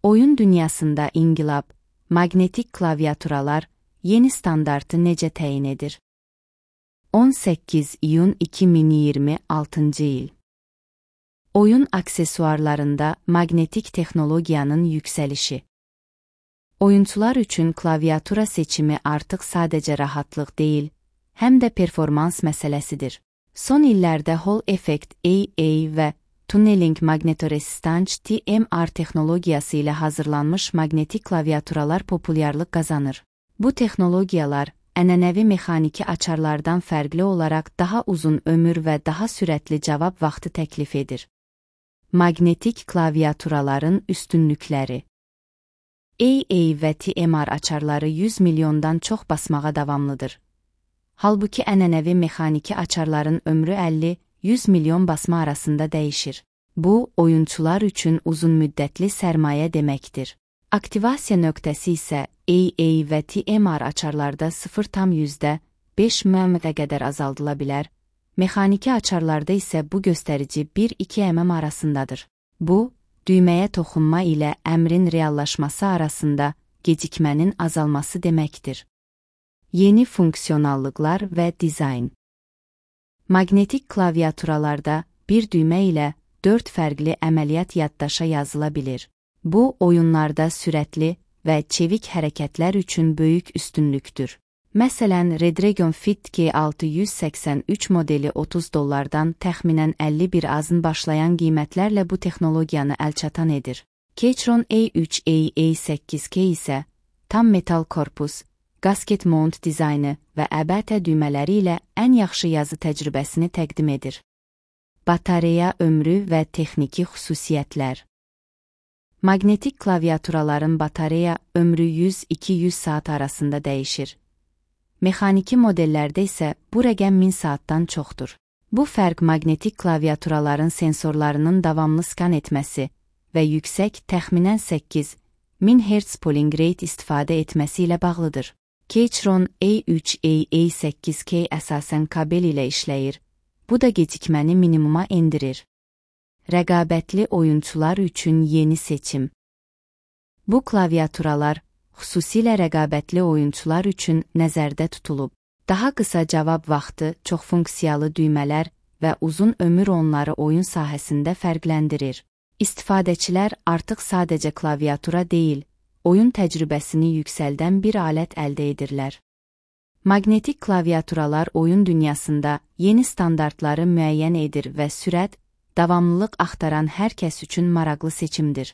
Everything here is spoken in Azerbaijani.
Oyun dünyasında inqilab, maqnetik klaviaturalar yeni standartı necə təyin edir? 18 iyun 2026 il. Oyun aksesuarlarında maqnetik texnologiyanın yüksəlişi. Oyunçular üçün klaviatura seçimi artıq sadəcə rahatlıq deyil, həm də performans məsələsidir. Son illərdə Hall Effect AA və Tunneling Magnetoresistance TMR texnologiyası ilə hazırlanmış maqnetik klaviaturalar populyarlıq qazanır. Bu texnologiyalar ənənəvi mexaniki açarlardan fərqli olaraq daha uzun ömür və daha sürətli cavab vaxtı təklif edir. Maqnetik klaviaturaların üstünlükləri. AA və TMR açarları 100 milyondan çox basmağa davamlıdır. Halbuki ənənəvi mexaniki açarların ömrü 50-100 milyon basma arasında dəyişir. Bu, oyunçular üçün uzunmüddətli sərmayə deməkdir. Aktivasiya nöqtəsi isə AA və TMR açarlarda 0,5 mm'ə qədər azaldıla bilər, mexaniki açarlarda isə bu göstərici 1-2 mm arasındadır. Bu, düyməyə toxunma ilə əmrin reallaşması arasında gecikmənin azalması deməkdir. Yeni funksionallıqlar və dizayn. Maqnetik klaviaturalarda bir düymə ilə 4 fərqli əməliyyat yaddaşa yazıla bilir. Bu, oyunlarda sürətli və çevik hərəkətlər üçün böyük üstünlükdür. Məsələn, Redragon Fit G683 modeli $30 təxminən 51 azın başlayan qiymətlərlə bu texnologiyanı əlçatan edir. Keychron A3 AA8K isə tam metal korpus, gasket mount dizaynı və əbətə düymələri ilə ən yaxşı yazı təcrübəsini təqdim edir. Batareya ömrü və texniki xüsusiyyətlər. Maqnetik klaviaturaların batareya ömrü 100-200 saat arasında dəyişir. Mexaniki modellərdə isə bu rəqəm 1000 saatdan çoxdur. Bu fərq maqnetik klaviaturaların sensorlarının davamlı skan etməsi və yüksək təxminən 8000 Hz polling rate istifadə etməsi ilə bağlıdır. Keychron A3 AA8K əsasən kabel ilə işləyir. Bu da gecikməni minimuma endirir. Rəqabətli oyunçular üçün yeni seçim. Bu klaviaturalar xüsusilə rəqabətli oyunçular üçün nəzərdə tutulub. Daha qısa cavab vaxtı, çoxfunksiyalı düymələr və uzun ömür onları oyun sahəsində fərqləndirir. İstifadəçilər artıq sadəcə klaviatura deyil, oyun təcrübəsini yüksəldən bir alət əldə edirlər. Maqnetik klaviaturalar oyun dünyasında yeni standartları müəyyən edir və sürət, davamlılıq axtaran hər kəs üçün maraqlı seçimdir.